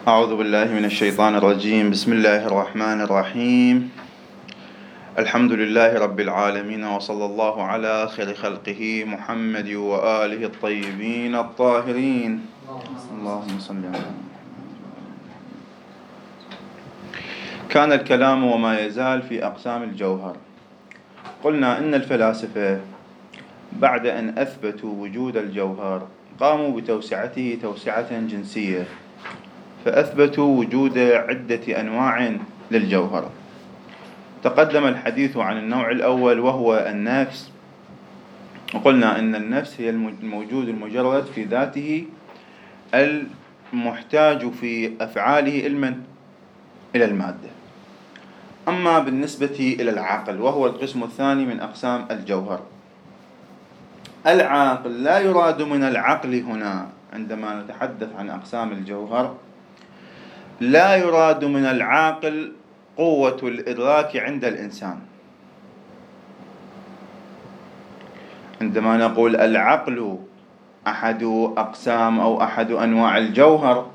أعوذ بالله من الشيطان الرجيم. بسم الله الرحمن الرحيم. الحمد لله رب العالمين، وصلى الله على خير خلقه محمد وآله الطيبين الطاهرين. اللهم صل على محمد. كان الكلام وما يزال في أقسام الجوهر. قلنا إن الفلاسفة بعد أن أثبتوا وجود الجوهر قاموا بتوسعته توسعة جنسية، فأثبتوا وجود عدة أنواع للجوهر. تقدم الحديث عن النوع الأول وهو النفس، وقلنا أن النفس هي الموجود المجرد في ذاته المحتاج في أفعاله إلى المادة. أما بالنسبة إلى العقل وهو القسم الثاني من أقسام الجوهر، العقل لا يراد من العقل هنا عندما نتحدث عن أقسام الجوهر، لا يراد من العاقل قوة الإدراك عند الإنسان. عندما نقول العقل أحد أقسام أو أحد أنواع الجوهر،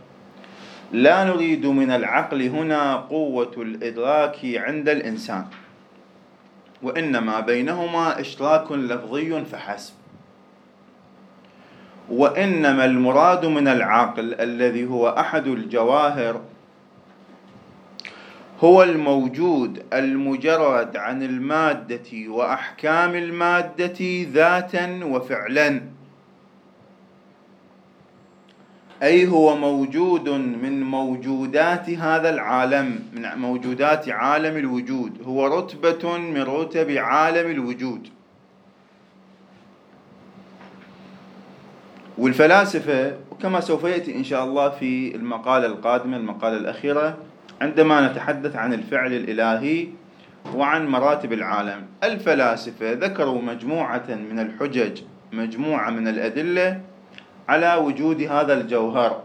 لا نريد من العقل هنا قوة الإدراك عند الإنسان، وإنما بينهما اشتراك لفظي فحسب. وإنما المراد من العقل الذي هو أحد الجواهر هو الموجود المجرد عن المادة وأحكام المادة ذاتا وفعلا، أي هو موجود من موجودات هذا العالم، من موجودات عالم الوجود، هو رتبة من رتب عالم الوجود. والفلاسفة وكما سوف يأتي إن شاء الله في المقالة القادمة، المقالة الأخيرة، عندما نتحدث عن الفعل الإلهي وعن مراتب العالم، الفلاسفة ذكروا مجموعة من الحجج، مجموعة من الأدلة على وجود هذا الجوهر،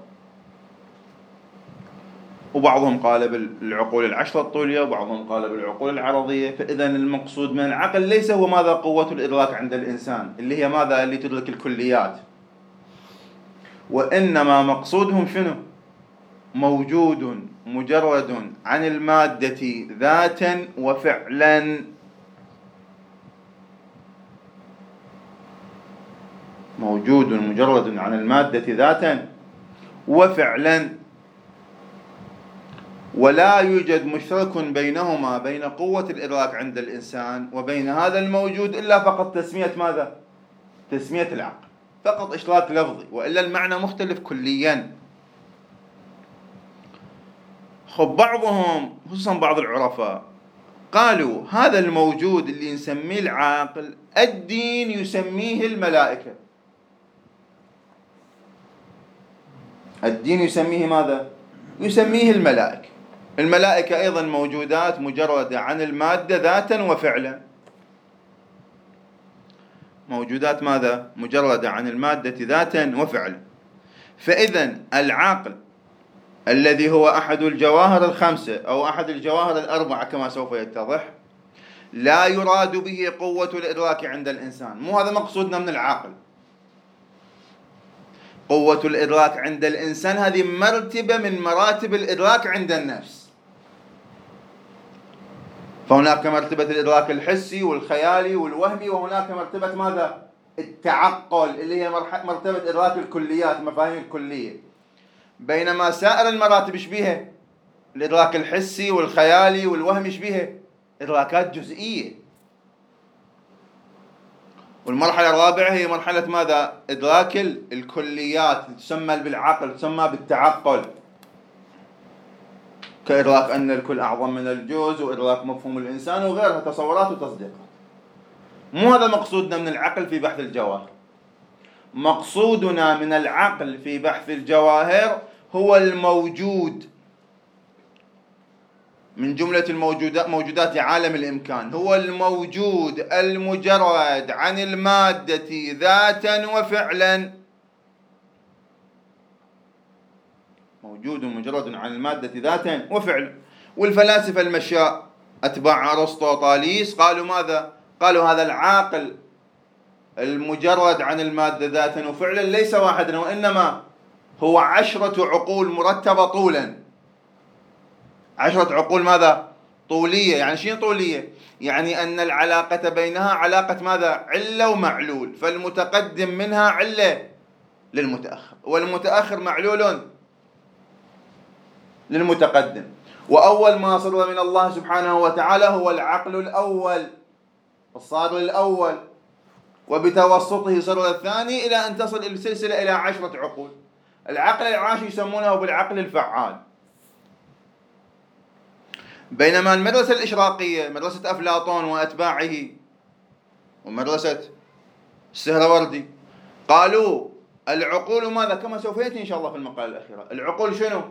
وبعضهم قال بالعقول العشرة الطولية وبعضهم قال بالعقول العرضية. فإذا المقصود من العقل ليس هو ماذا قوة الإدراك عند الإنسان اللي هي ماذا اللي تدرك الكليات، وإنما مقصودهم شنو؟ موجود مجرد عن المادة ذاتا وفعلا، موجود مجرد عن المادة ذاتا وفعلا، ولا يوجد مشترك بينهما، بين قوة الإدراك عند الإنسان وبين هذا الموجود، إلا فقط تسمية ماذا؟ تسمية العقل، فقط إشراك لفظي، وإلا المعنى مختلف كليا. خب بعضهم خصوصا بعض العرفاء قالوا هذا الموجود اللي نسميه العاقل الدين يسميه الملائكة. الدين يسميه ماذا؟ يسميه الملائكة. الملائكة أيضا موجودات مجردة عن المادة ذاتا وفعلا، موجودات ماذا؟ مجردة عن المادة ذاتا وفعلا. فإذا العقل الذي هو أحد الجواهر الخمسة أو أحد الجواهر الأربعة كما سوف يتضح، لا يراد به قوة الإدراك عند الإنسان. مو هذا مقصودنا من العقل. قوة الإدراك عند الإنسان هذه مرتبة من مراتب الإدراك عند النفس، فهناك مرتبة الإدراك الحسي والخيالي والوهمي، وهناك مرتبة ماذا؟ التعقل اللي هي مرتبة إدراك الكليات، مفاهيم الكلية. بينما سائر المراتب ايش بيها؟ الإدراك الحسي والخيالي والوهمي ايش بيها؟ إدراكات جزئية. والمرحلة الرابعة هي مرحلة ماذا؟ إدراك الكليات، تسمى بالعقل، تسمى بالتعقل، كإدراك أن الكل أعظم من الجزء، وإدراك مفهوم الإنسان وغيرها، تصورات وتصديقات. مو هذا مقصودنا من العقل في بحث الجواهر. مقصودنا من العقل في بحث الجواهر هو الموجود من جملة الموجودات، موجودات عالم الإمكان، هو الموجود المجرد عن المادة ذاتا وفعلا، موجود مجرد عن المادة ذاتا وفعلا. والفلاسفة المشاء أتباع أرسطو طاليس قالوا ماذا؟ قالوا هذا العاقل المجرد عن المادة ذاتا وفعلا ليس واحدا وإنما هو 10 عقول مرتبة طولا. 10 عقول ماذا؟ طولية. يعني شنو طولية؟ يعني أن العلاقة بينها علاقة ماذا؟ علة ومعلول، فالمتقدم منها علة للمتأخر، والمتأخر معلول للمتقدم. وأول ما صدر من الله سبحانه وتعالى هو العقل الأول، الصادر الأول، وبتوسطه صدر الثاني، إلى أن تصل السلسلة إلى 10 عقول. العقل العاشر يسمونه بالعقل الفعال. بينما المدرسة الإشراقية، مدرسة أفلاطون وأتباعه ومدرسة السهروردي، قالوا العقول ماذا؟ كما سوف يأتي إن شاء الله في المقالة الأخيرة. العقول شنو؟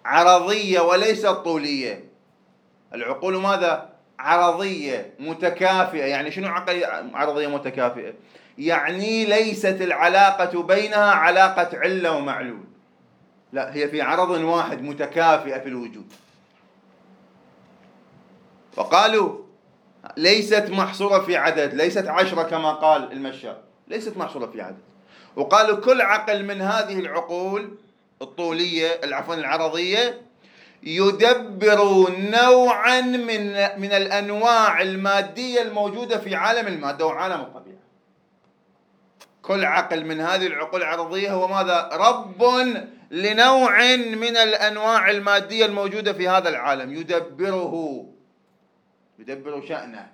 عرضية وليست طولية. العقول ماذا؟ عرضية متكافئة. يعني شنو عرضية متكافئة؟ يعني ليست العلاقة بينها علاقة علة ومعلول، لا، هي في عرض واحد متكافئة في الوجود. وقالوا ليست محصورة في عدد، ليست 10 كما قال المشاء، ليست محصورة في عدد. وقالوا كل عقل من هذه العقول الطولية، عفوا العرضية، يدبر نوعا من الأنواع المادية الموجودة في عالم المادة وعالم الطبيعة. كل عقل من هذه العقول العرضية هو ماذا؟ رب لنوع من الأنواع المادية الموجودة في هذا العالم، يدبره، يدبر شأنه.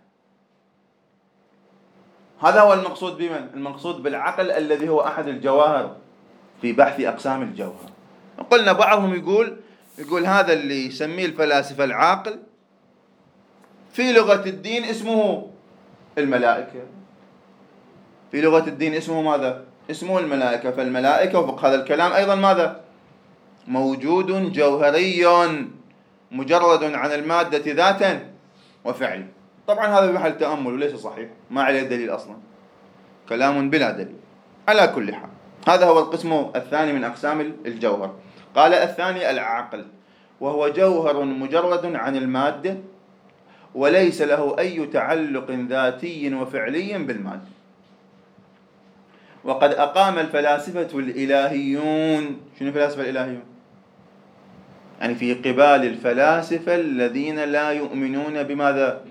هذا هو المقصود بمن؟ المقصود بالعقل الذي هو أحد الجواهر في بحث أقسام الجوهر. قلنا بعضهم يقول هذا اللي يسميه الفلاسفة العاقل، في لغة الدين اسمه الملائكة. في لغة الدين اسمه ماذا؟ اسمه الملائكة. فالملائكة وفق هذا الكلام أيضا ماذا؟ موجود جوهري مجرد عن المادة ذاتا وفعلا. طبعا هذا بمحل تأمل وليس صحيح، ما عليه دليل أصلا، كلام بلا دليل. على كل حال هذا هو القسم الثاني من أقسام الجوهر. قال الثاني العقل، وهو جوهر مجرد عن المادة وليس له أي تعلق ذاتي وفعلي بالمادة. وقد أقام الفلاسفة الإلهيون، شنو الفلاسفة الإلهيون؟ يعني في قبال الفلاسفة الذين لا يؤمنون بماذا؟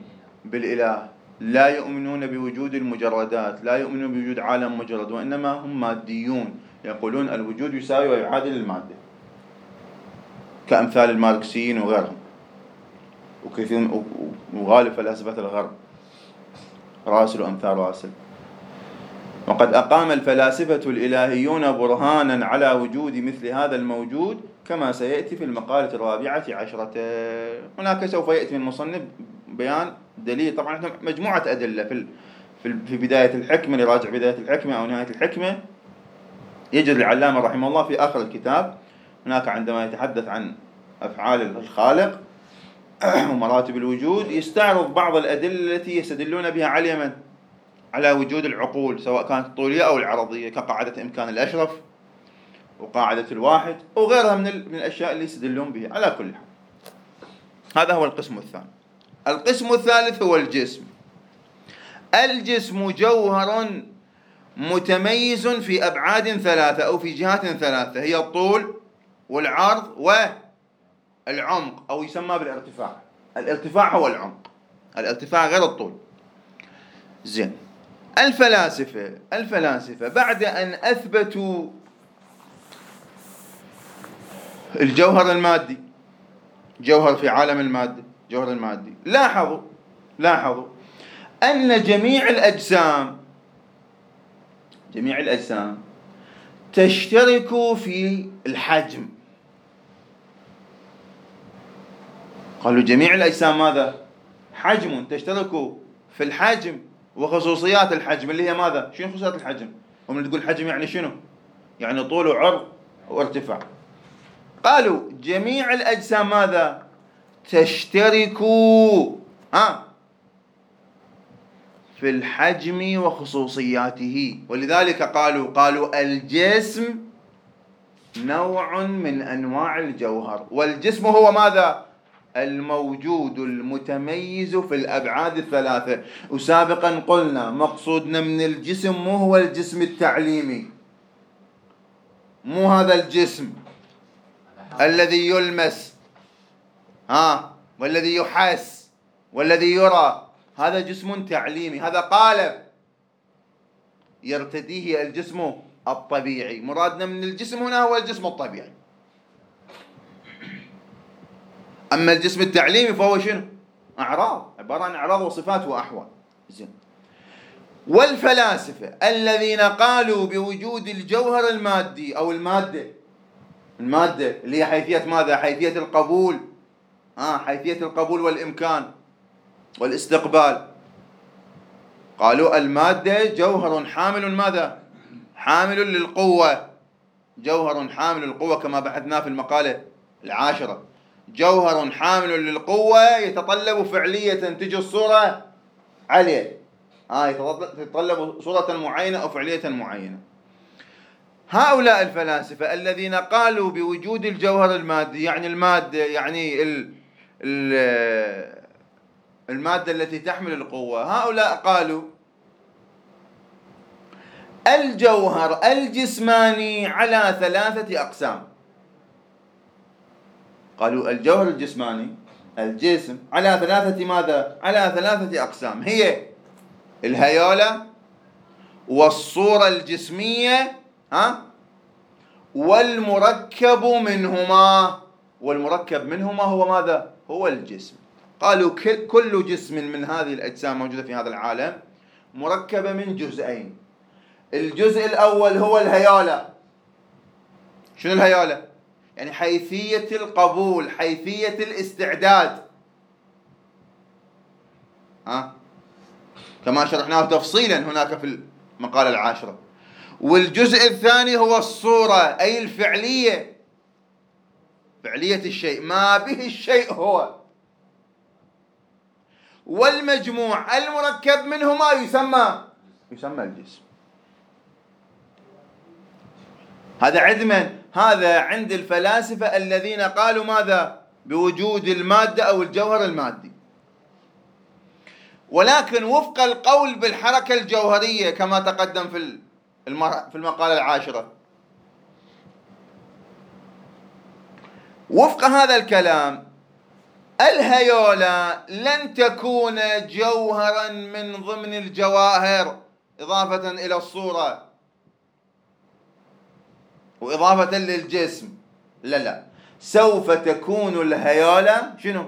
بالإله، لا يؤمنون بوجود المجردات، لا يؤمنون بوجود عالم مجرد، وإنما هم ماديون، يقولون الوجود يساوي ويعادل المادة، كأمثال الماركسيين وغيرهم، وكثير وغالب فلاسفة الغرب، راسل وأمثال راسل. وقد أقام الفلاسفة الإلهيون برهانا على وجود مثل هذا الموجود كما سيأتي في المقالة 14. هناك سوف يأتي من المصنف بيان دليل، طبعا احنا مجموعة أدلة في بداية الحكمة، لراجع بداية الحكمة أو نهاية الحكمة، يجد العلامة رحمه الله في آخر الكتاب هناك عندما يتحدث عن أفعال الخالق ومراتب الوجود يستعرض بعض الأدلة التي يستدلون بها على من؟ على وجود العقول سواء كانت الطولية أو العرضية، كقاعدة إمكان الأشرف وقاعدة الواحد وغيرها من الأشياء اللي يستدلون بها. على كل حال هذا هو القسم الثاني. القسم الثالث هو الجسم. الجسم جوهر متميز في أبعاد ثلاثة أو في جهات ثلاثة، هي الطول والعرض والعمق، أو يسمى بالارتفاع. الارتفاع هو العمق، الارتفاع غير الطول. زين، الفلاسفة بعد أن أثبتوا الجوهر المادي، جوهر في عالم المادة، جوهر المادي، لاحظوا أن جميع الأجسام تشترك في الحجم. قالوا جميع الأجسام ماذا؟ حجم، تشترك في الحجم وخصوصيات الحجم اللي هي ماذا؟ شنو خصوصيات الحجم؟ ومن تقول حجم يعني شنو؟ يعني طول وعرض وارتفاع. قالوا جميع الأجسام ماذا؟ تشترك في الحجم وخصوصياته، ولذلك قالوا الجسم نوع من أنواع الجوهر، والجسم هو ماذا؟ الموجود المتميز في الأبعاد الثلاثة. وسابقا قلنا مقصودنا من الجسم مو هو الجسم التعليمي، مو هذا الجسم الذي يلمس والذي يحس والذي يرى، هذا جسم تعليمي، هذا قالب يرتديه الجسم الطبيعي. مرادنا من الجسم هنا هو الجسم الطبيعي. أما الجسم التعليمي فهو شنو؟ أعراض، عبارة عن أعراض وصفات وأحوال. زين، والفلاسفة الذين قالوا بوجود الجوهر المادي أو المادة، المادة اللي هي حيثية ماذا؟ حيثية القبول، حيثية القبول والإمكان والاستقبال. قالوا المادة جوهر حامل ماذا؟ حامل للقوة، جوهر حامل للقوة كما بحثنا في المقالة العاشرة. جوهر حامل للقوة يتطلب فعلية تجي الصورة عليه، يتطلب صورة معينة أو فعلية معينة. هؤلاء الفلاسفة الذين قالوا بوجود الجوهر المادي، يعني المادة، يعني المادة التي تحمل القوة، هؤلاء قالوا الجوهر الجسماني على ثلاثة أقسام. قالوا الجوهر الجسماني، الجسم، على ثلاثة ماذا؟ على ثلاثة أقسام، هي الهيولة والصورة الجسمية والمركب منهما. والمركب منهما هو ماذا؟ هو الجسم. قالوا كل جسم من هذه الأجسام موجودة في هذا العالم مركبة من جزئين. الجزء الأول هو الهيولة. شنو الهيولة؟ يعني حيثية القبول، حيثية الاستعداد، كما شرحناه تفصيلا هناك في المقالة العاشرة. والجزء الثاني هو الصورة، أي الفعلية، فعلية الشيء، ما به الشيء هو. والمجموع المركب منهما يسمى الجسم. هذا عند من؟ هذا عند الفلاسفة الذين قالوا ماذا؟ بوجود المادة أو الجوهر المادي. ولكن وفق القول بالحركة الجوهرية كما تقدم في المقالة العاشرة، وفق هذا الكلام الهيولة لن تكون جوهرا من ضمن الجواهر، إضافة إلى الصورة وإضافة للجسم. لا لا، سوف تكون الهيولة شنو؟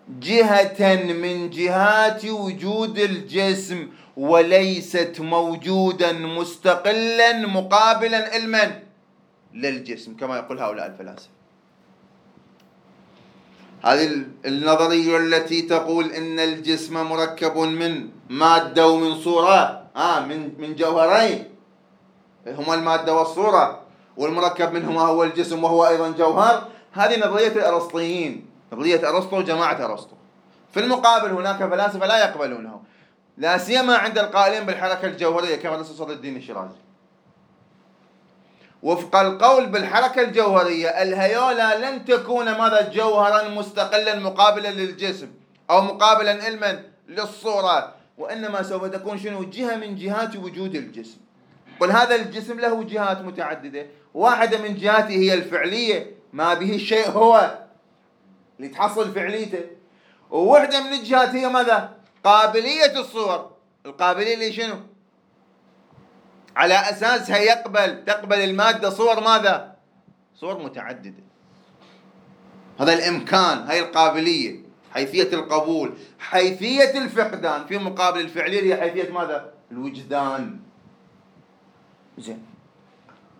جهة من جهات وجود الجسم، وليست موجودا مستقلا مقابلا لمن؟ للجسم، كما يقول هؤلاء الفلاسفة. هذه النظرية التي تقول إن الجسم مركب من مادة ومن صورة، من جوهرين هما المادة والصورة، والمركب منهما هو الجسم وهو أيضا جوهر، هذه نظرية الأرسطيين، نظرية أرسطو وجماعة أرسطو. في المقابل هناك فلاسفة لا يقبلونه، لا سيما عند القائلين بالحركة الجوهرية كما نص صدر الدين الشيرازي. وفق القول بالحركة الجوهرية الهيولة لن تكون ماذا؟ جوهرا مستقلا مقابلا للجسم أو مقابلا لمن؟ للصورة، وإنما سوف تكون شنو؟ جهة من جهات وجود الجسم. قل هذا الجسم له جهات متعددة، واحدة من جهاته هي الفعلية، ما به الشيء هو اللي تحصل فعليته، وواحدة من الجهات هي ماذا؟ قابلية الصور، القابلية اللي شنو؟ على أساسها تقبل المادة صور ماذا؟ صور متعددة. هذا الإمكان، هاي القابلية، حيثية القبول، حيثية الفقدان، في مقابل الفعلية هي حيثية ماذا؟ الوجدان. زين.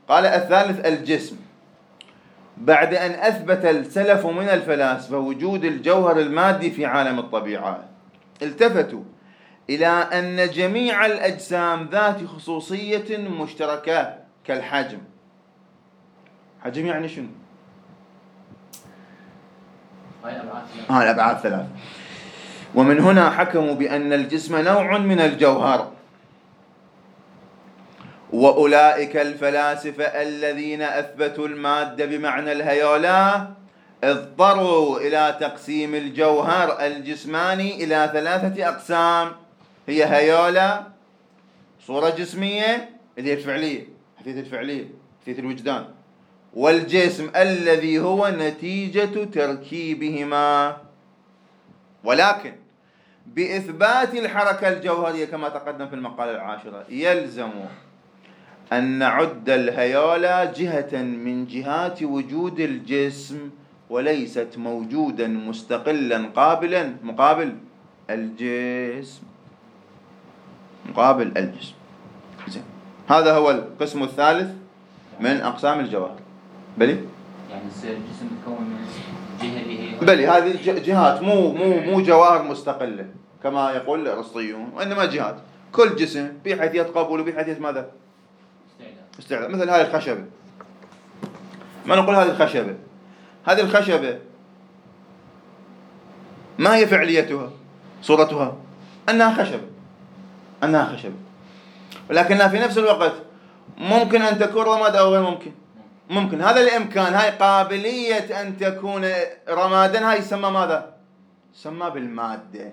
قال الثالث الجسم. بعد أن أثبت السلف من الفلاسفة وجود الجوهر المادي في عالم الطبيعة، التفتوا إلى أن جميع الأجسام ذات خصوصية مشتركة كالحجم. حجم يعني شنو؟ الأبعاد ثلاث. ومن هنا حكموا بأن الجسم نوع من الجوهر. وأولئك الفلاسفة الذين أثبتوا المادة بمعنى الهيولة اضطروا إلى تقسيم الجوهر الجسماني إلى ثلاثة أقسام، هي هيولة، صورة جسمية اللي هي الفعلية، حديث الفعلية، حيثية الوجدان والجسم الذي هو نتيجة تركيبهما. ولكن بإثبات الحركة الجوهرية كما تقدم في المقالة العاشرة يلزم أن نعد الهيولى جهة من جهات وجود الجسم، وليست موجودا مستقلا قابلا مقابل الجسم، مقابل الجسم. زين، هذا هو القسم الثالث من أقسام الجواهر. بلي؟ يعني يصير الجسم متكون من جهة اللي هي، بلي هذه جهات، مو جواهر مستقلة كما يقول الأرسطيون، وإنما جهات. كل جسم بحيثية قبول وبحيثية ماذا؟ استعداد. مثل هذه الخشبة، ما نقول هذه الخشبة، هذه الخشبة ما هي فعليتها؟ صورتها أنها خشبة، أنها خشبة، ولكنها في نفس الوقت ممكن أن تكون رماد أو غير ممكن. ممكن، هذا الإمكان، هاي قابلية أن تكون رمادا، هاي يسمى ماذا؟ يسمى بالمادة،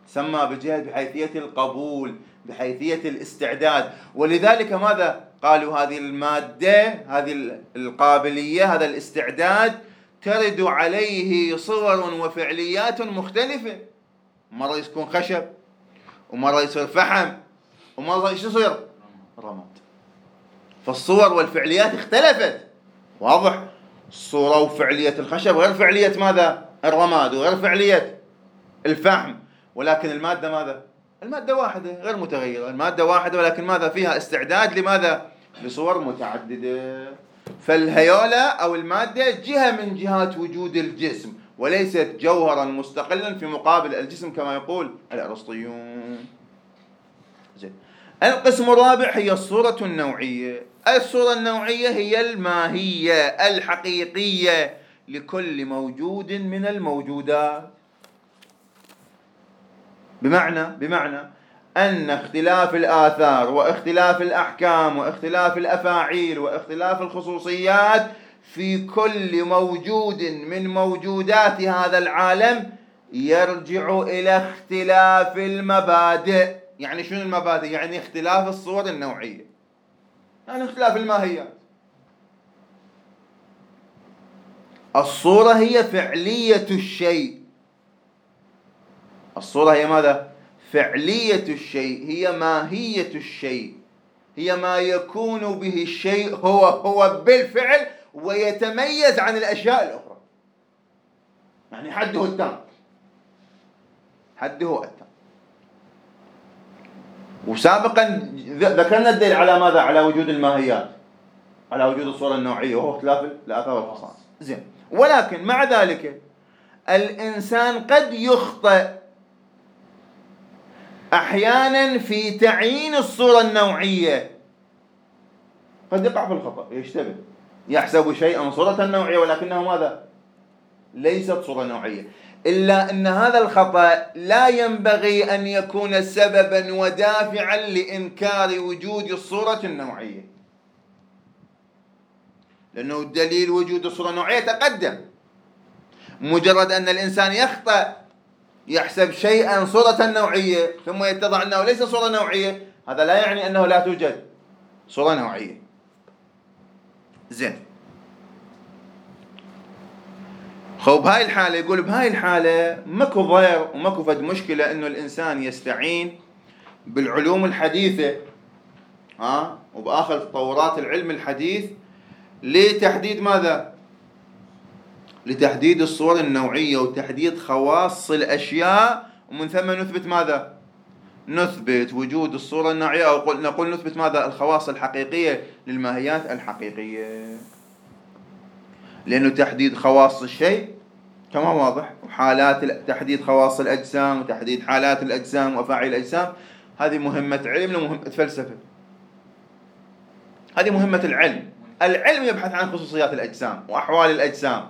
يسمى بجهة بحيثية القبول، بحيثية الاستعداد. ولذلك ماذا قالوا؟ هذه المادة، هذه القابلية، هذا الاستعداد ترد عليه صور وفعليات مختلفة. مرة يكون خشب، ومرة يصير فحم، ومرة ايش يصير؟ رماد. فالصور والفعليات اختلفت. واضح؟ الصورة وفعلية الخشب غير فعلية ماذا؟ الرماد، وغير فعلية الفحم. ولكن المادة ماذا؟ المادة واحدة غير متغيرة، المادة واحدة، ولكن ماذا؟ فيها استعداد لماذا؟ لصور متعددة. فالهيولى أو المادة جهة من جهات وجود الجسم، وليست جوهرا مستقلا في مقابل الجسم كما يقول الأرسطيون. زين. القسم الرابع هي الصورة النوعية. الصورة النوعية هي الماهية الحقيقية لكل موجود من الموجودات، بمعنى أن اختلاف الآثار واختلاف الأحكام واختلاف الأفاعيل واختلاف الخصوصيات في كل موجود من موجودات هذا العالم يرجع إلى اختلاف المبادئ. يعني شنو المبادئ؟ يعني اختلاف الصور النوعية، يعني اختلاف الماهيات. الصورة هي فعلية الشيء. الصورة هي ماذا؟ فعلية الشيء، هي ماهية الشيء، هي ما يكون به الشيء هو بالفعل، ويتميز عن الأشياء الأخرى. يعني حده التام، حده التام. وسابقا ذكرنا الدليل على ماذا؟ على وجود الماهيات، على وجود الصورة النوعية، وهو اختلاف الآثار والخصائص. زين، ولكن مع ذلك الإنسان قد يخطئ أحيانا في تعيين الصورة النوعية، قد يقع في الخطأ، يشتبه، يحسب شيئا صورة نوعية ولكنه ماذا؟ ليست صورة نوعية. إلا أن هذا الخطأ لا ينبغي أن يكون سببا ودافعا لإنكار وجود الصورة النوعية، لأنه دليل وجود الصورة النوعية تقدم. مجرد أن الإنسان يخطأ، يحسب شيئا صورة نوعية ثم يتضح أنه ليس صورة نوعية، هذا لا يعني أنه لا توجد صورة نوعية. زين، خو بهاي الحالة يقول بهاي الحالة ماكو ضير وماكو فد مشكلة إنه الإنسان يستعين بالعلوم الحديثة، وبآخر تطورات العلم الحديث لتحديد ماذا؟ لتحديد الصور النوعية وتحديد خواص الأشياء، ومن ثم نثبت ماذا؟ نثبت وجود الصورة النوعية، أو نقول نثبت ماذا؟ الخواص الحقيقية للماهيات الحقيقية. لأنه تحديد خواص الشيء كما واضح، وحالات تحديد خواص الأجسام وتحديد حالات الأجسام وأفاعيل الأجسام، هذه مهمة علم ومهمة فلسفة. هذه مهمة العلم. العلم يبحث عن خصوصيات الأجسام وأحوال الأجسام،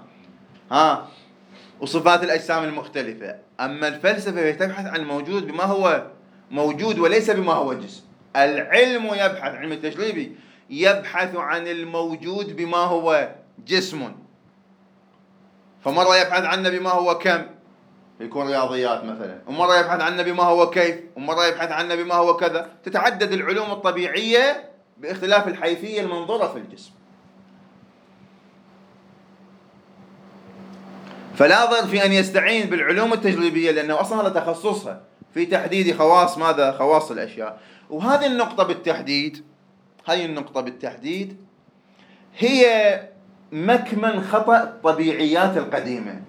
وصفات الأجسام المختلفة. أما الفلسفة تبحث عن الموجود بما هو موجود وليس بما هو جسم. العلم يبحث، علم التجريبي يبحث عن الموجود بما هو جسم، فمرة يبحث عنه بما هو كم، يكون رياضيات مثلا، ومرة يبحث عنه بما هو كيف، ومرة يبحث عنه بما هو كذا. تتعدد العلوم الطبيعية باختلاف الحيثية المنظورة في الجسم. فلا ضير في أن يستعين بالعلوم التجريبية، لأنه أصلا هذا تخصصها في تحديد خواص ماذا؟ خواص الأشياء. وهذه النقطة بالتحديد، هذه النقطة بالتحديد هي مكمن خطأ الطبيعيات القديمة.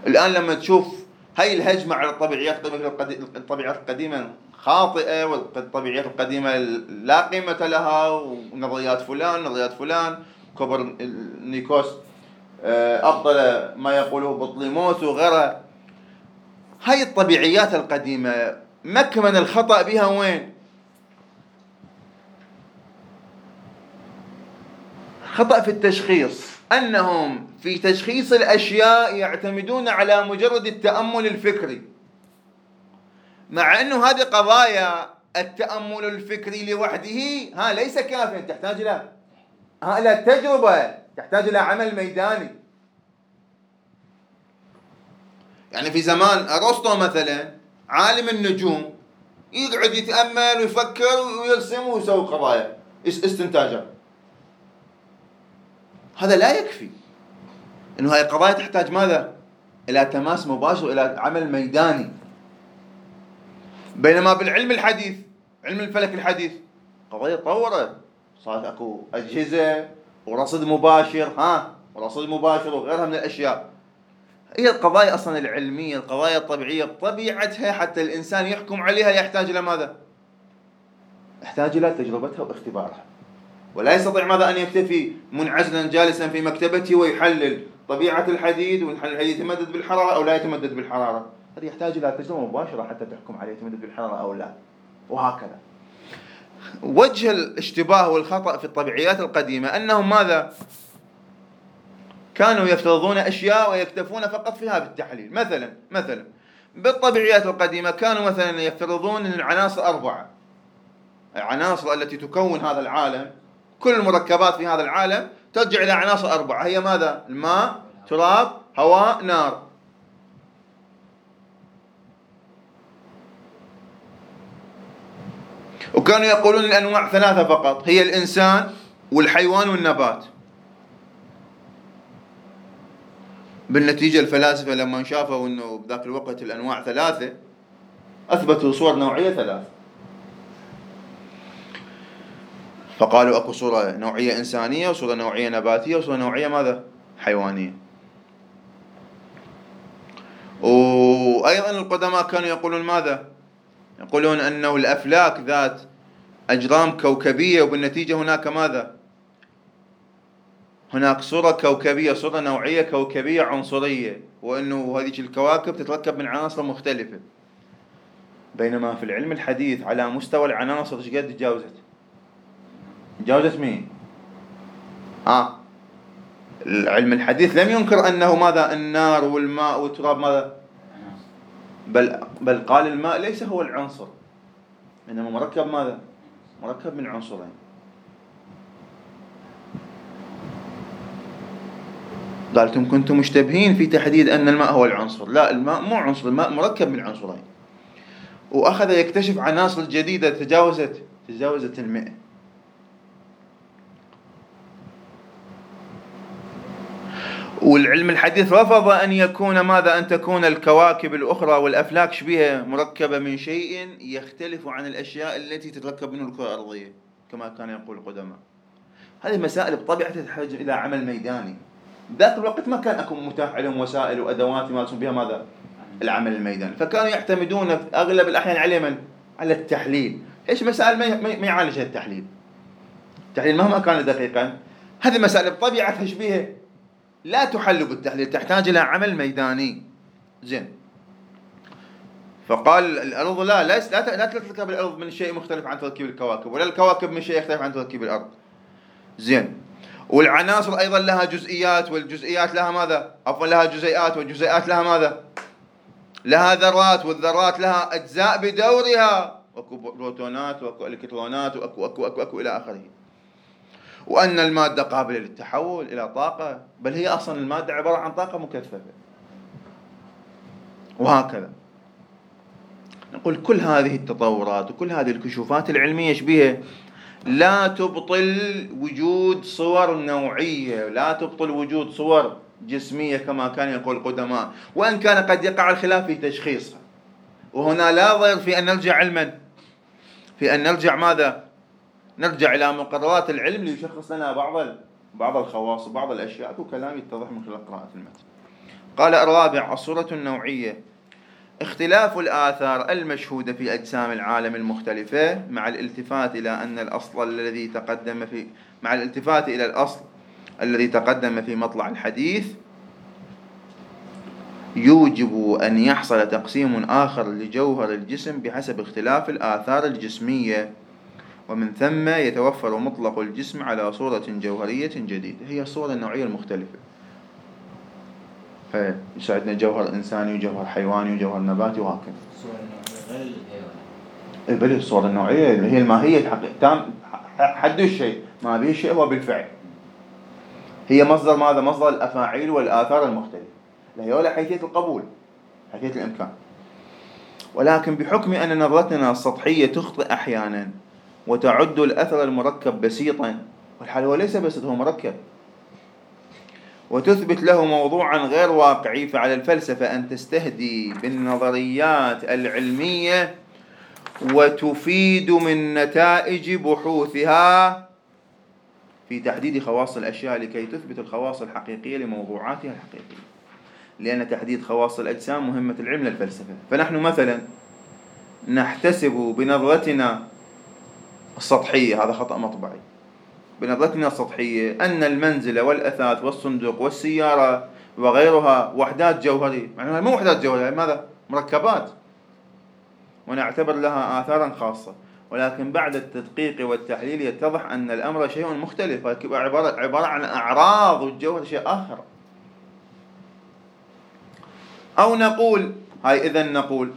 الآن لما تشوف هاي الهجمة على الطبيعيات، الطبيعيات القديمة خاطئة، والطبيعيات القديمة لا قيمة لها، ونظريات فلان نظريات فلان، كوبرنيكوس أبطل ما يقوله بطليموس وغيره. هاي الطبيعيات القديمة مكمن الخطأ بها وين؟ خطأ في التشخيص، أنهم في تشخيص الأشياء يعتمدون على مجرد التأمل الفكري، مع أنه هذه قضايا التأمل الفكري لوحده ليس كافيا، تحتاج إلى تجربة، تحتاج إلى عمل ميداني. يعني في زمان أرسطو مثلا عالم النجوم يقعد يتأمل ويفكر ويرسم ويسوي قضايا استنتاجات، هذا لا يكفي. إنه هاي القضايا تحتاج ماذا؟ إلى تماس مباشر، إلى عمل ميداني. بينما بالعلم الحديث، علم الفلك الحديث، قضايا تطورت، صارت أكو أجهزة ورصد مباشر، ورصد مباشر وغيرها من الأشياء. هي القضايا أصلا العلمية، القضايا الطبيعية بطبيعتها حتى الإنسان يحكم عليها يحتاج إلى ماذا؟ يحتاج إلى تجربتها واختبارها، ولا يستطيع ماذا أن يكتفي منعزلا جالسا في مكتبته ويحلل طبيعة الحديد، ويحلل الحديد يتمدد بالحرارة أو لا يتمدد بالحرارة. هذا يحتاج إلى تجربة مباشرة حتى تحكم عليه يتمدد بالحرارة أو لا، وهكذا. وجه الاشتباه والخطأ في الطبيعيات القديمة أنهم ماذا؟ كانوا يفترضون أشياء ويكتفون فقط فيها بالتحليل. مثلا بالطبيعيات القديمة كانوا مثلا يفترضون أن العناصر أربعة، العناصر التي تكون هذا العالم، كل المركبات في هذا العالم ترجع إلى عناصر أربعة، هي ماذا؟ الماء، تراب، هواء، نار. وكانوا يقولون الأنواع ثلاثة فقط، هي الإنسان والحيوان والنبات. بالنتيجة الفلاسفة لما شافوا أنه بذاك الوقت الأنواع ثلاثة أثبتوا صور نوعية ثلاثة، فقالوا أكو صورة نوعية إنسانية، وصورة نوعية نباتية، وصورة نوعية ماذا؟ حيوانية. وأيضا القدماء كانوا يقولون ماذا؟ يقولون أنه الأفلاك ذات أجرام كوكبية، وبالنتيجة هناك ماذا؟ هناك صورة كوكبية، صورة نوعية كوكبية عنصرية، وأنه هذه الكواكب تتركب من عناصر مختلفة. بينما في العلم الحديث على مستوى العناصر ايش قد تجاوزت؟ تجاوزت مين؟ العلم الحديث لم ينكر أنه ماذا؟ النار والماء والتراب ماذا؟ بل قال الماء ليس هو العنصر، إنما مركب ماذا؟ مركب من عنصرين. قالتم كنتم مشتبهين في تحديد أن الماء هو العنصر، لا، الماء مو عنصر، الماء مركب من عنصرين. وأخذ يكتشف عناصر جديدة تجاوزت 100. والعلم الحديث رفض أن يكون ماذا؟ أن تكون الكواكب الأخرى والأفلاك شبيهة مركبة من شيء يختلف عن الأشياء التي تتركب منه الكرة الأرضية كما كان يقول القدماء. هذه المسائل بطبيعتها تحتاج إلى عمل ميداني. ذاك الوقت ما كان أكو متاح لهم وسائل وأدوات يمارسون بها ماذا؟ العمل الميداني، فكانوا يعتمدون في أغلب الأحيان على من؟ على التحليل. إيش مسائل ما يعالجها التحليل؟ التحليل مهما كان دقيقا، هذه المسائل بطبيعتها شبيهة لا تحل بالتحليل، تحتاج إلى عمل ميداني. زين، فقال الأرض لا تتركب الأرض من شيء مختلف عن تركيب الكواكب، ولا الكواكب من شيء يختلف عن تركيب الأرض. زين، والعناصر أيضا لها جزئيات، والجزئيات لها ماذا؟ عفوا لها جزيئات، والجزيئات لها ماذا؟ لها ذرات، والذرات لها أجزاء بدورها، وأكو بروتونات وأكو إلكترونات وأكو أكو أكو أكو إلى آخره. وأن المادة قابلة للتحول إلى طاقة، بل هي أصلا المادة عبارة عن طاقة مكثفة، وهكذا. نقول كل هذه التطورات وكل هذه الكشوفات العلمية شبيهة لا تبطل وجود صور نوعية، لا تبطل وجود صور جسمية كما كان يقول القدماء، وإن كان قد يقع الخلاف في تشخيصها. وهنا لا ضير في أن نرجع علما، في أن نرجع ماذا؟ نرجع إلى مقررات العلم ليشخص لنا بعض الخواص وبعض الأشياء، وكلام يتضح من خلال قراءة المتن. قال الرابع: الصورة النوعية، اختلاف الآثار المشهودة في أجسام العالم المختلفة مع الالتفات إلى أن الأصل الذي تقدم في مع الالتفات إلى الأصل الذي تقدم في مطلع الحديث يوجب أن يحصل تقسيم آخر لجوهر الجسم بحسب اختلاف الآثار الجسمية، ومن ثم يتوفر مطلق الجسم على صورة جوهرية جديدة، هي الصورة النوعية المختلفة. فيساعدنا جوهر إنساني وجوهر حيواني وجوهر نباتي وهكذا. الصورة النوعية غير الهيولة. بل الصورة النوعية اللي هي الماهية الحقيقية، تام حد الشيء، ما به شيء هو بالفعل. هي مصدر ماذا؟ مصدر الأفاعيل والآثار المختلفة. الهيولة حيثية القبول، حيثية الإمكان. ولكن بحكم أن نظرتنا السطحية تخطئ أحيانا وتعد الأثر المركب بسيطا، والحال هو ليس بسيط، هو مركب، وتثبت له موضوعا غير واقعي، فعلى الفلسفة أن تستهدي بالنظريات العلمية وتفيد من نتائج بحوثها في تحديد خواص الأشياء لكي تثبت الخواص الحقيقية لموضوعاتها الحقيقية، لأن تحديد خواص الأجسام مهمة العلم للفلسفة. فنحن مثلا نحتسب بنظرتنا السطحية، هذا خطأ مطبعي، بنظرتنا السطحية أن المنزل والأثاث والصندوق والسيارة وغيرها وحدات جوهرية، معناها مو وحدات جوهرية، ماذا؟ مركبات، ونعتبر لها آثارا خاصة. ولكن بعد التدقيق والتحليل يتضح أن الأمر شيء مختلف، عبارة عن أعراض والجوهر شيء آخر. أو نقول هاي إذن نقول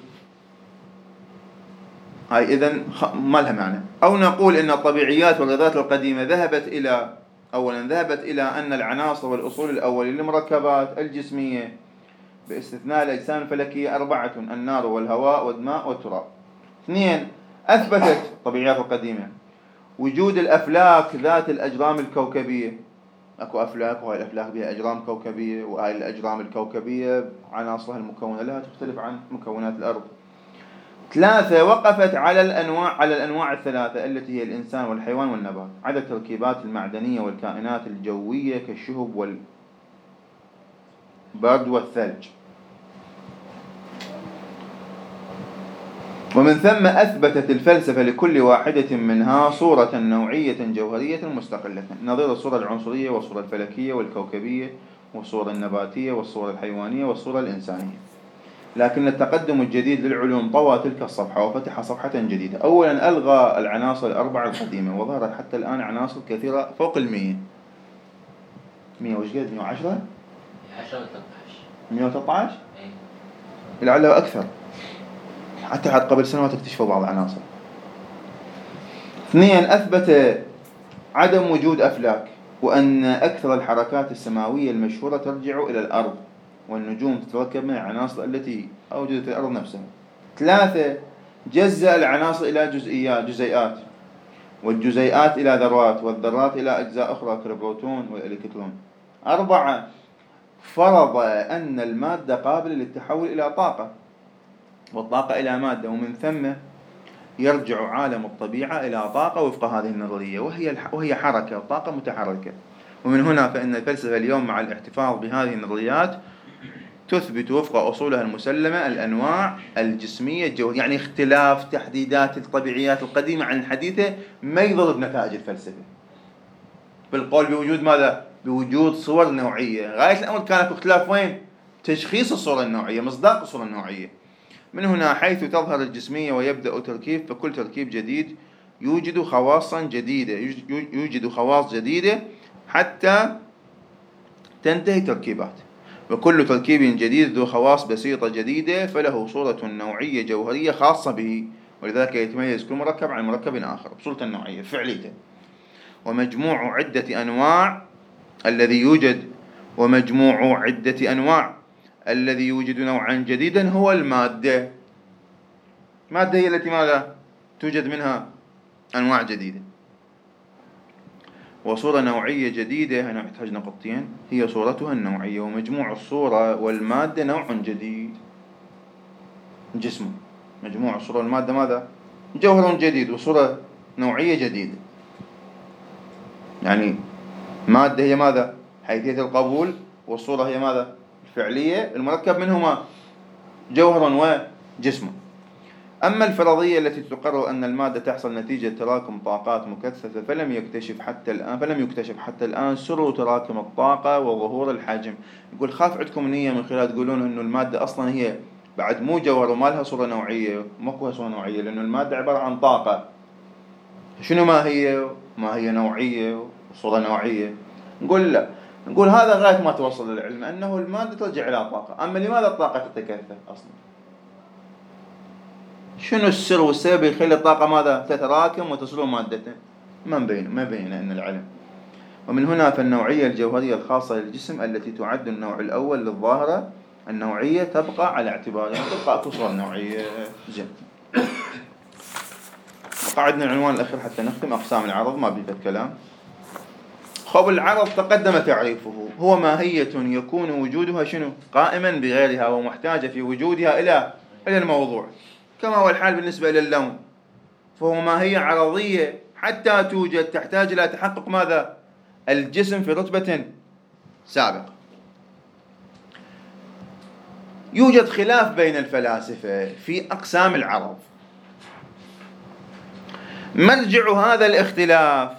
هاي إذن ما لها معنى. أو نقول إن الطبيعيات والغذاءات القديمة ذهبت إلى أولا ذهبت إلى أن العناصر والأصول الأولية للمركبات الجسمية باستثناء الأجسام الفلكية أربعة: النار والهواء والماء والتراب. اثنين، أثبتت الطبيعيات القديمة وجود الأفلاك ذات الأجرام الكوكبية. أكو أفلاك، وهاي الأفلاك بها أجرام كوكبية، وهاي الأجرام الكوكبية عناصرها المكونة لها تختلف عن مكونات الأرض. ثلاثة، وقفت على الأنواع الثلاثة التي هي الإنسان والحيوان والنبات، عدا التركيبات المعدنية والكائنات الجوية كالشهب والبرد والثلج. ومن ثم أثبتت الفلسفة لكل واحدة منها صورة نوعية جوهرية مستقلة، نظير الصورة العنصرية والصورة الفلكية والكوكبية والصورة النباتية والصورة الحيوانية والصورة الإنسانية. لكن التقدم الجديد للعلوم طوى تلك الصفحة وفتح صفحة جديدة. أولا، ألغى العناصر الأربعة القديمة، وظهرت حتى الآن عناصر كثيرة فوق 100. 100 وش قد؟ 110؟ 113؟ لعله أكثر، حتى قبل سنوات اكتشفوا بعض العناصر. اثنين، أثبت عدم وجود أفلاك، وأن أكثر الحركات السماوية المشهورة ترجع إلى الأرض، والنجوم تتركب من العناصر التي أوجدت الأرض نفسها. ثلاثة، جزأ العناصر إلى جزيئات، والجزيئات إلى ذرات، والذرات إلى أجزاء أخرى كالبروتون والإلكترون. أربعة، فرض أن المادة قابلة للتحول إلى طاقة، والطاقة إلى مادة، ومن ثم يرجع عالم الطبيعة إلى طاقة وفق هذه النظرية، وهي حركة، طاقة متحركة. ومن هنا فإن الفلسفة اليوم مع الاحتفاظ بهذه النظريات تثبت وفق أصولها المسلمة الأنواع الجسمية الجوهرية. يعني اختلاف تحديدات الطبيعيات القديمة عن الحديثة ما يضر بنتائج الفلسفة بالقول بوجود ماذا؟ بوجود صور نوعية. غاية الأمر كان في اختلاف وين؟ تشخيص الصورة النوعية، مصداق الصورة النوعية. من هنا حيث تظهر الجسمية ويبدأ تركيب، فكل تركيب جديد يوجد خواصا جديدة، يوجد خواص جديدة حتى تنتهي تركيبات، وكل تركيب جديد ذو خواص بسيطة جديدة فله صورة نوعية جوهرية خاصة به، ولذلك يتميز كل مركب عن مركب آخر بصورة النوعية فعليته. ومجموع عدة أنواع الذي يوجد ومجموع عدة أنواع الذي يوجد نوعا جديدا هو المادة. المادة هي التي ماذا؟ توجد منها أنواع جديدة. وصورة نوعية جديدة، هنا نحتاج نقطتين، هي صورتها النوعية، ومجموع الصورة والمادة نوع جديد، جسم. مجموع الصورة والمادة ماذا؟ جوهر جديد وصورة نوعية جديدة. يعني مادة هي ماذا؟ حيثية القبول، والصورة هي ماذا؟ الفعلية، المركب منهما جوهر وجسم. أما الفرضية التي تقرر أن المادة تحصل نتيجة تراكم طاقات مكثفة فلم يكتشف حتى الآن سر تراكم الطاقة وظهور الحجم. يقول خاف عندكم نية من خلال تقولون أنه المادة أصلا هي بعد مو جوهر وما لها صورة نوعية، ماكو صورة نوعية، لأنه المادة عبارة عن طاقة. شنو ما هي؟ ما هي نوعية وصورة نوعية. نقول لا، نقول هذا غاية ما توصل للعلم أنه المادة ترجع إلى طاقة. أما لماذا الطاقة تتكثف أصلا؟ شنو السر والسبب يخلي الطاقة ماذا؟ تتراكم وتصل مادته؟ ما بين أن العلم. ومن هنا فالنوعية الجوهرية الخاصة للجسم التي تعد النوع الأول للظاهرة النوعية تبقى على اعتبارها، تبقى تصل نوعية. زين، قعدنا العنوان الأخير حتى نختم، أقسام العرض، ما بيفت كلام. خب العرض تقدم تعريفه، هو ماهية يكون وجودها شنو؟ قائما بغيرها ومحتاجة في وجودها إلى الموضوع، كما هو الحال بالنسبة إلى اللون، فهو ماهية عرضية حتى توجد تحتاج إلى تحقق ماذا؟ الجسم في رتبة سابقة. يوجد خلاف بين الفلاسفة في أقسام العرض. مرجع هذا الاختلاف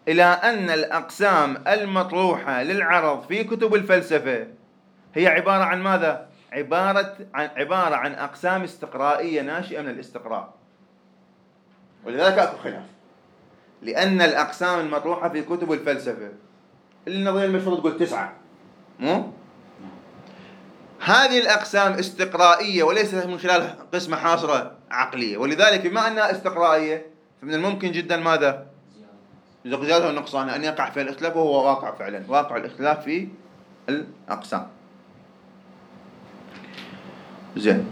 إلى أن الأقسام المطروحة للعرض في كتب الفلسفة هي عبارة عن ماذا؟ عبارة عن أقسام استقرائية ناشئة من الاستقراء، ولذلك أكو خلاف، لأن الأقسام المطروحة في كتب الفلسفة النظرية المشهورة تقول 9، مو؟ هذه الأقسام استقرائية وليست من خلال قسمة حاصرة عقلية، ولذلك بما أنها استقرائية فمن الممكن جدا ماذا؟ زيادة ونقصان، أن يقع في الاختلاف، وهو واقع فعلا، واقع الاختلاف في الأقسام. زين،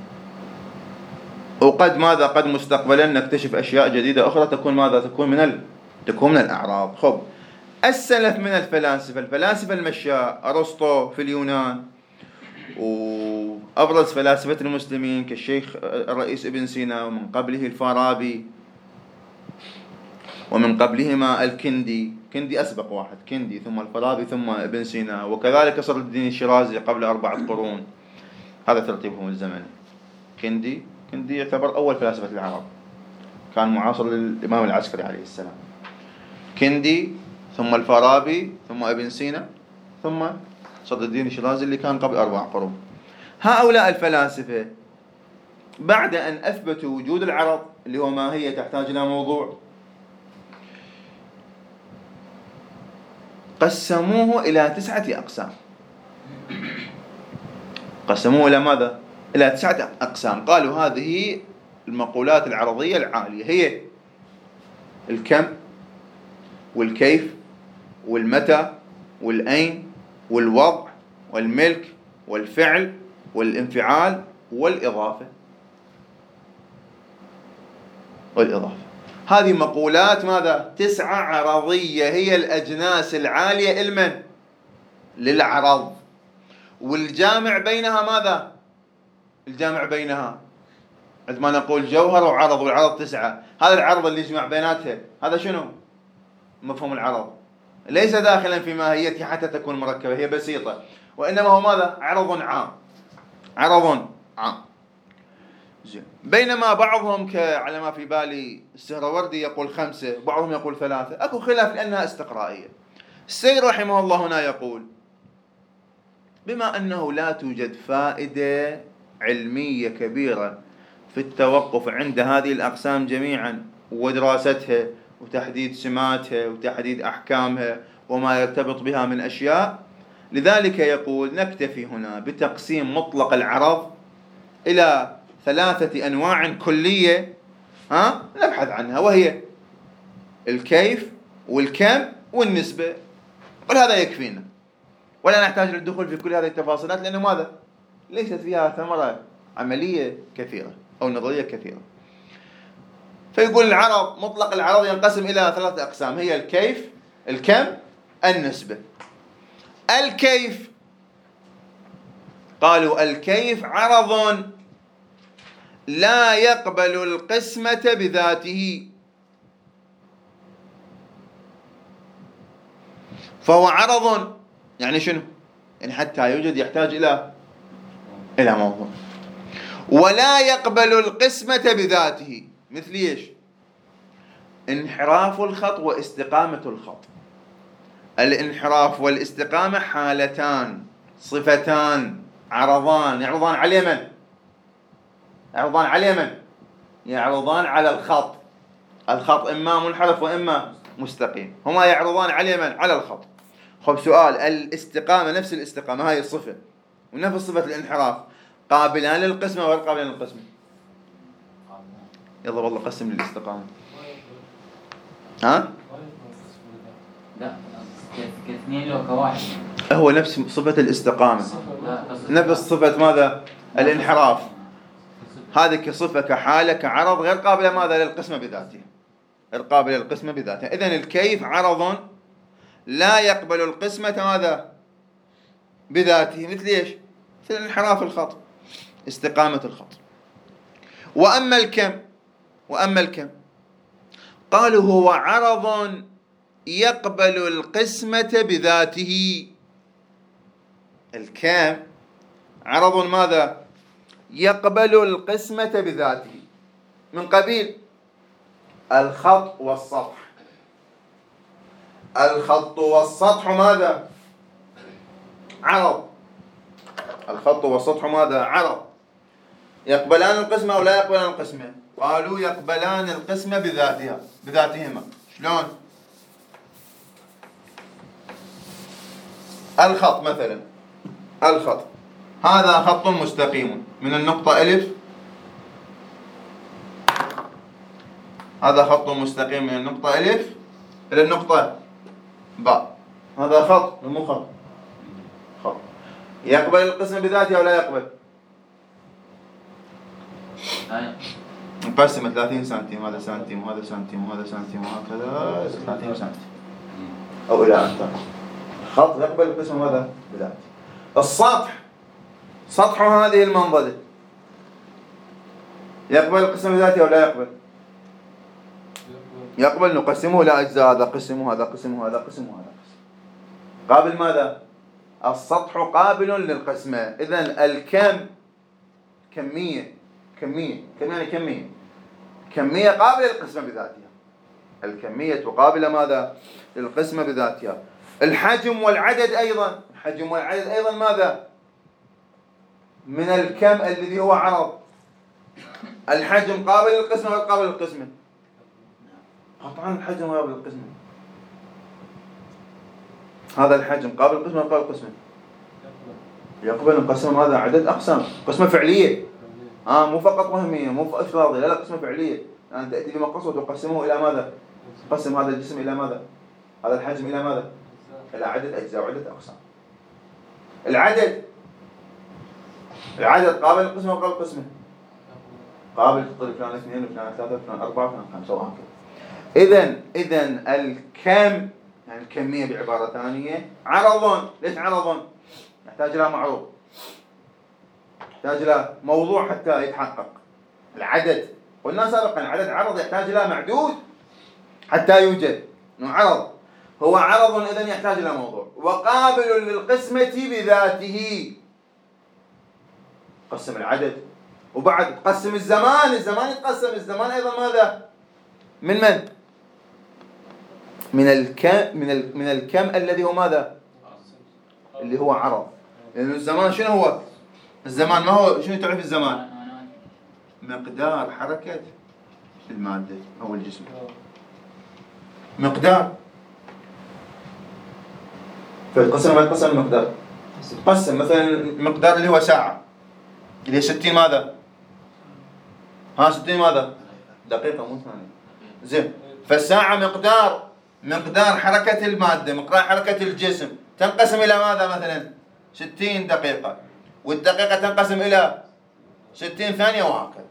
وقد ماذا؟ قد مستقبلا نكتشف أشياء جديدة أخرى تكون ماذا؟ تكون من الأعراض. خب السلف من الفلاسفة، الفلاسفة المشاء، أرسطو في اليونان، وأبرز فلاسفة المسلمين كالشيخ الرئيس ابن سينا، ومن قبله الفارابي، ومن قبلهما الكندي، كندي أسبق واحد، كندي ثم الفارابي ثم ابن سينا، وكذلك صدر الدين الشيرازي قبل 4 قرون. هذا ترتيبهم الزمني. كندي يعتبر أول فلاسفة العرب، كان معاصر للإمام العسكري عليه السلام. كندي ثم الفارابي ثم ابن سينا ثم صدر الدين الشيرازي اللي كان قبل 4 قرون. هؤلاء الفلاسفة بعد أن أثبتوا وجود العرض اللي هو ماهية تحتاج إلى موضوع، قسموه إلى 9 أقسام. قسموه إلى ماذا؟ إلى 9 أقسام. قالوا هذه المقولات العرضية العالية هي الكم والكيف والمتى والأين والوضع والملك والفعل والانفعال والإضافة. هذه مقولات ماذا؟ 9 عرضية، هي الأجناس العالية إلمن؟ للعرض. والجامع بينها ماذا؟ الجامع بينها عندما نقول جوهر وعرض، والعرض 9، هذا العرض اللي يجمع بيناتها هذا شنو؟ مفهوم العرض ليس داخلا في ماهيتها حتى تكون مركبة، هي بسيطة، وإنما هو ماذا؟ عرض عام، عرض عام. زين. بينما بعضهم على ما في بالي السهروردي يقول 5، بعضهم يقول 3، أكو خلاف لأنها استقرائية. السيد رحمه الله هنا يقول بما أنه لا توجد فائدة علمية كبيرة في التوقف عند هذه الأقسام جميعا ودراستها وتحديد سماتها وتحديد أحكامها وما يرتبط بها من أشياء، لذلك يقول نكتفي هنا بتقسيم مطلق العرض إلى 3 أنواع كلية نبحث عنها، وهي الكيف والكم والنسبة، وهذا يكفينا ولا نحتاج للدخول في كل هذه التفاصيلات، لأنه ماذا؟ ليست فيها ثمرة عملية كثيرة أو نظرية كثيرة. فيقول العرض، مطلق العرض ينقسم إلى 3 أقسام، هي الكيف، الكم، النسبة. الكيف، قالوا الكيف عرض لا يقبل القسمة بذاته، فهو عرض يعني شنو؟ يعني حتى يوجد يحتاج إلى موضوع، ولا يقبل القسمة بذاته. مثل إيش؟ انحراف الخط واستقامة الخط. الانحراف والاستقامة حالتان، صفتان، عرضان، يعرضان على من؟ يعرضان على من؟ يعرضان على الخط. الخط إما منحرف وإما مستقيم، هما يعرضان على من؟ على الخط. خب سؤال، الاستقامة نفس الاستقامة هاي الصفة ونفس صفة الانحراف، قابلان للقسمة وغير قابلان للقسمة؟ يلا والله قسم للاستقامة. ها؟ لا كاثنين لو كواحد هو نفس صفة الاستقامة، نفس صفة ماذا؟ الانحراف. هذه كصفة كحالة كعرض غير قابلة ماذا؟ للقسمة بذاتها، غير قابلة للقسمة بذاتها. إذن الكيف عرض لا يقبل القسمة ماذا؟ بذاته. مثل إيش؟ مثل انحراف الخط، استقامة الخط. وأما الكم، قالوا هو عرض يقبل القسمة بذاته. الكم عرض ماذا؟ يقبل القسمة بذاته، من قبيل الخط والسطح. الخط والسطح ماذا؟ عرض. الخط والسطح ماذا؟ عرض. يقبلان القسمة أو لا يقبلان القسمة؟ قالوا يقبلان القسمة بذاتها، بذاتهما. شلون؟ الخط مثلا، الخط هذا خط مستقيم من النقطة ألف، هذا خط مستقيم من النقطة ألف إلى النقطة باء، هذا خط مو خط، خط يقبل القسمة بذاته أو لا يقبل؟ نقسم 30 سنتيم، هذا سنتيم وهذا سنتيم وهذا سنتيم وهكذا 30 سنتيم أو إلى أن خط يقبل القسمة ماذا؟ بذاته. السطح، سطح هذه المنظرة يقبل القسمة بذاته أو لا يقبل؟ يقبل. نقسمه إلى أجزاء، هذا قسم وهذا قسم وهذا قسم وهذا قسم. قابل ماذا؟ السطح قابل للقسمة. إذن الكم كمية، كمية، كم يعني كمية؟ كمية قابلة للقسمة بذاتها. الكمية قابلة ماذا؟ للقسمة بذاتها. الحجم والعدد أيضا، الحجم والعدد أيضا ماذا؟ من الكم الذي هو عرض. الحجم قابل للقسمة ولا قابل للقسمة؟ قطعا الحجم قابل للقسمة. هذا الحجم قابل للقسمة ولا قابل للقسمة؟ يقبل. نقسم هذا عدد أقسام، قسمة فعلية، مو فقط وهمية، مو افتراضية، لا لا، قسمة فعلية. يعني تأتي بمقص وتقسمه إلى ماذا؟ تقسم هذا الجسم إلى ماذا؟ هذا الحجم إلى ماذا؟ إلى عدد أجزاء وعدة أقسام. العدد، العدد قابل للقسمة وقابل للقسمة؟ قابل. تطلب فلان 2 وفلان 3 وفلان 4 وفلان 5 وهكذا. إذن الكم يعني الكمية بعبارة ثانية عرض. ليش عرض؟ يحتاج إلى معروض، يحتاج إلى موضوع حتى يتحقق. العدد قلنا سابقا العدد عرض يحتاج إلى معدود حتى يوجد، إنه عرض، هو عرض إذن يحتاج إلى موضوع، وقابل للقسمة بذاته. قسم العدد وبعد تقسم الزمان، الزمان يتقسم، الزمان أيضا ماذا؟ من من؟ من الكم، من الكم الذي هو ماذا؟ اللي هو عرض. لأن الزمان شنو هو؟ الزمان ما هو، شنو تعرف الزمان؟ مقدار حركة المادة أو الجسم، مقدار. فالقسم ما يتقسم المقدار، قسم مثلا المقدار اللي هو ساعة، اللي هي 60 ماذا؟ ها 60 ماذا؟ دقيقة مو ثانية. زين، فالساعة مقدار، مقدار حركة المادة، مقدار حركة الجسم، تنقسم إلى ماذا مثلا؟ 60 دقيقة، والدقيقة تنقسم إلى 60 ثانية وهكذا.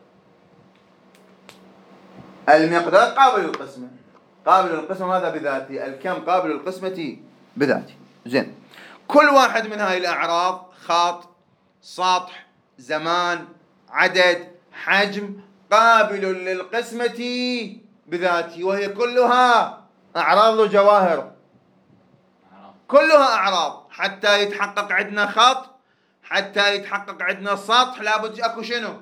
المقدار قابل للقسمة، قابل للقسمة ماذا؟ بذاته. الكم قابل للقسمة بذاته. زين، كل واحد من هاي الأعراض، خط، سطح، زمان، عدد، حجم، قابل للقسمة بذاته، وهي كلها أعراض وجواهر، كلها أعراض. حتى يتحقق عندنا خط، حتى يتحقق عندنا سطح، لابد أكو شنو؟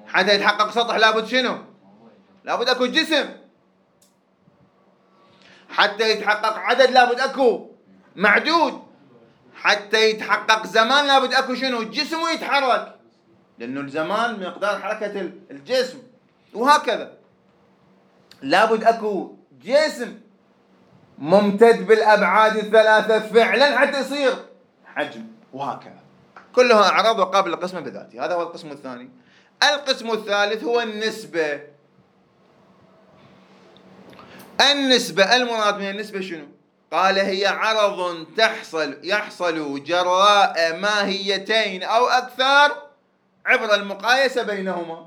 حتى يتحقق سطح لابد شنو؟ لابد أكو جسم. حتى يتحقق عدد لابد أكو معدود. حتى يتحقق زمان لابد أكو شنو؟ جسم ويتحرك، لأنه الزمان مقدار حركة الجسم، وهكذا. لابد أكو جسم ممتد بالأبعاد الثلاثة فعلا حتى يصير حجم، وهكذا. كلها أعراض وقابل للقسمة بذاته. هذا هو القسم الثاني. القسم الثالث هو النسبة. النسبة، المراد من النسبة شنو؟ قال هي عرض يحصل جراء ماهيتين أو أكثر عبر المقايسة بينهما.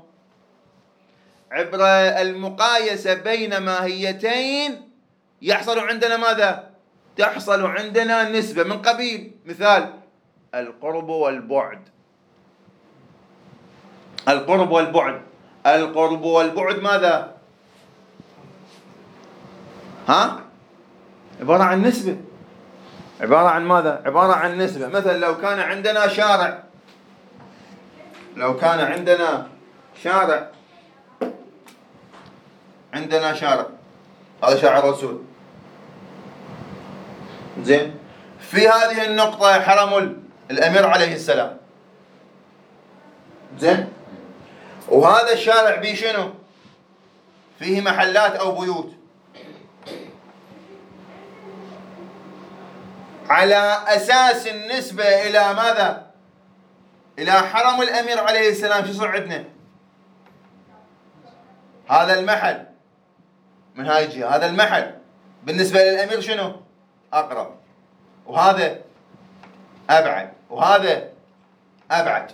عبر المقايسة بين ماهيتين يحصل عندنا ماذا؟ تحصل عندنا نسبة من قبيل مثال القرب والبعد. القرب والبعد، القرب والبعد ماذا؟ ها؟ عبارة عن نسبة. عبارة عن ماذا؟ عبارة عن نسبة. مثلا لو كان عندنا شارع، لو كان عندنا شارع، عندنا شارع، هذا شارع الرسول، زين، في هذه النقطة حرم الأمير عليه السلام، زين، وهذا الشارع بيه شنو؟ فيه محلات أو بيوت. على أساس النسبة إلى ماذا؟ إلى حرم الأمير عليه السلام، شو صار عندنا؟ هذا المحل من هاي الجهة، هذا المحل بالنسبة للأمير شنو؟ أقرب، وهذا أبعد، وهذا أبعد.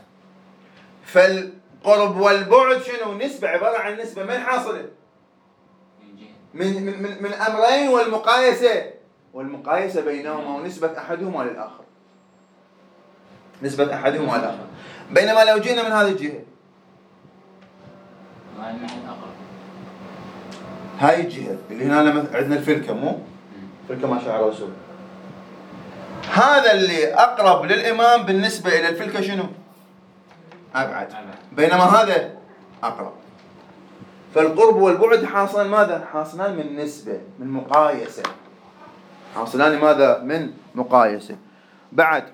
فالقرب والبعد شنو؟ نسبة، عبارة عن نسبة من حاصلة؟ من من من أمرين، والمقايسة، والمقايسة بينهما، ونسبة أحدهما للآخر، نسبة أحدهما للآخر. بينما لو جينا من هذه الجهة، هاي الجهة اللي هنا عندنا الفلكة، مو فلكة ما شاء الرسول، هذا اللي أقرب للإمام بالنسبة إلى الفلكة شنو؟ أبعد، بينما هذا أقرب. فالقرب والبعد حاصلان ماذا؟ حاصلان من نسبة، من مقايسة، حاصلان ماذا؟ من مقايسة. بعد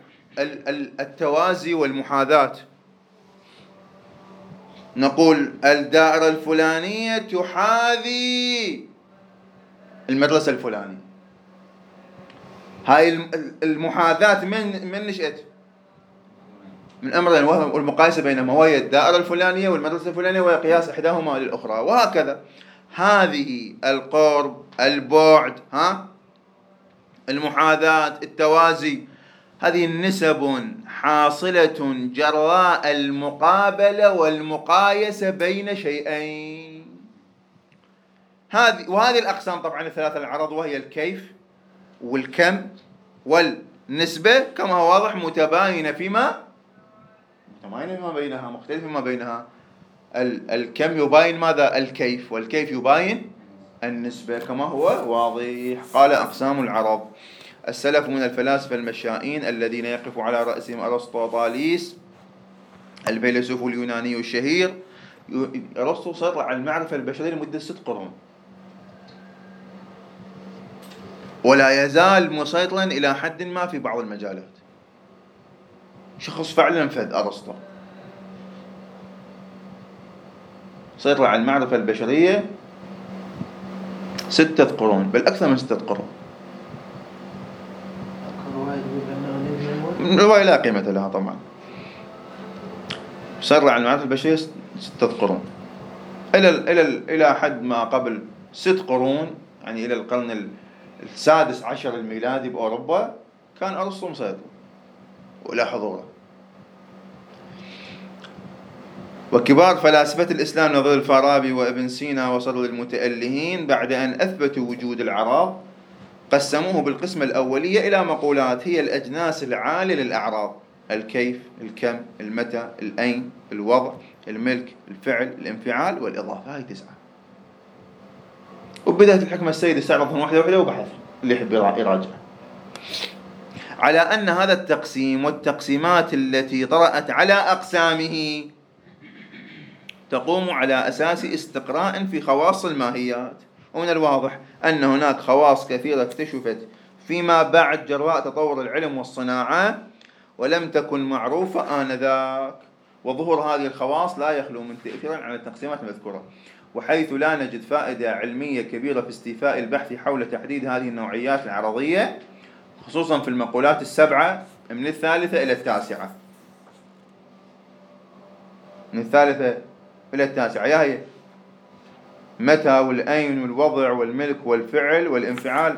التوازي والمحاذاة، نقول الدائرة الفلانية تحاذي المدرسة الفلانية. هاي المحاذاة من نشأت؟ من أمرين، والمقايسة بينهما، وهي الدائرة الفلانية والمدرسة الفلانية، وهي قياس إحداهما للأخرى، وهكذا. هذه القرب، البعد، ها، المحاذاة، التوازي، هذه النسب حاصلة جراء المقابلة والمقايسة بين شيئين. هذه وهذه الأقسام طبعا الثلاثة العرض، وهي الكيف والكم والنسبة، كما هو واضح متباينة فيما بينها، مختلفة فيما بينها. الكم يباين ماذا؟ الكيف، والكيف يباين النسبة كما هو واضح. قال أقسام العرض: السلف من الفلاسفة المشائين الذين يقف على رأسهم أرسطوطاليس الفيلسوف اليوناني الشهير. أرسطو سيطر على المعرفة البشرية لمدة 6 قرون، ولا يزال مسيطرا إلى حد ما في بعض المجالات. شخص فعلا فذ أرسطو، سيطر على المعرفة البشرية 6 قرون، بل أكثر من 6 قرون. رواية لا قيمة لها طبعا. سيطر على المعرفة البشرية 6 قرون إلى إلى إلى حد ما قبل 6 قرون، يعني إلى القرن 16 الميلادي بأوروبا كان أرسطو مسيطر وإلى حضوره. وكبار فلاسفة الإسلام نظير الفارابي وابن سينا وصدر المتألهين بعد أن أثبتوا وجود العرض قسموه بالقسمة الأولية إلى مقولات هي الأجناس العالية للأعراض: الكيف، الكم، المتى، الأين، الوضع، الملك، الفعل، الانفعال، والإضافة. هاي 9. وبداية الحكمة السيد استعرضهم واحدة واحدة وبحث اللي يحب يراجع. على أن هذا التقسيم والتقسيمات التي طرأت على أقسامه تقوم على أساس استقراء في خواص الماهيات، ومن الواضح أن هناك خواص كثيرة اكتشفت فيما بعد جراء تطور العلم والصناعة ولم تكن معروفة آنذاك، وظهور هذه الخواص لا يخلو من تأثير على التقسيمات المذكورة، وحيث لا نجد فائدة علمية كبيرة في استيفاء البحث حول تحديد هذه النوعيات العرضية، خصوصا في المقولات 7 من 3 إلى 9. من 3 إلى 9 يا هي متى والأين والوضع والملك والفعل والانفعال.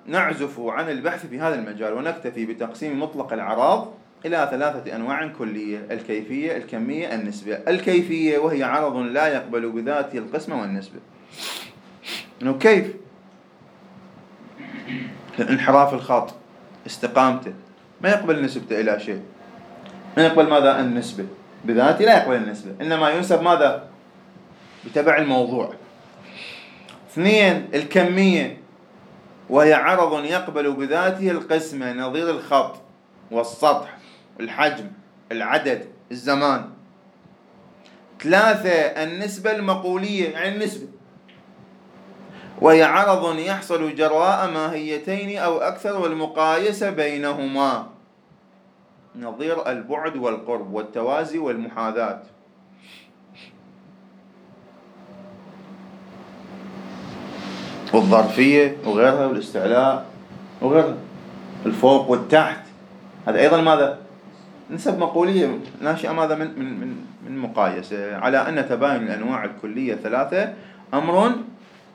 نعزف عن البحث في هذا المجال ونكتفي بتقسيم مطلق الأعراض إلى 3 أنواع كلية: الكيفية، الكمية، النسبة. الكيفية وهي عرض لا يقبل بذاته القسمة والنسبة. إنه كيف؟ انحراف الخط، استقامته، ما يقبل نسبته إلى شيء، ما يقبل ماذا؟ النسبة بذاته لا يقبل النسبة، إنما ينسب ماذا؟ بتبع الموضوع. 2 الكمية وهي عرض يقبل بذاته القسمة، نظير الخط والسطح، الحجم، العدد، الزمان. 3 النسبة المقولية، يعني النسبة، وهي عرض يحصل جراء ماهيتين أو أكثر والمقايسة بينهما، نظير البعد والقرب والتوازي والمحاذاة. والظرفية وغيرها، والاستعلاء وغيرها، الفوق والتحت، هذا أيضا ماذا؟ نسب مقولية ناشئة ماذا؟ من من من من مقايسة. على أن تباين الأنواع الكلية 3 أمر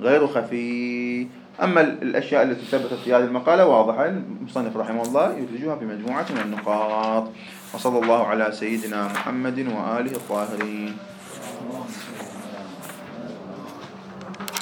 غير خفي. أما الأشياء التي ثبتت في هذه المقالة واضحة، المصنف رحمه الله يدرجها في مجموعة من النقاط. وصلى الله على سيدنا محمد وآله الطاهرين.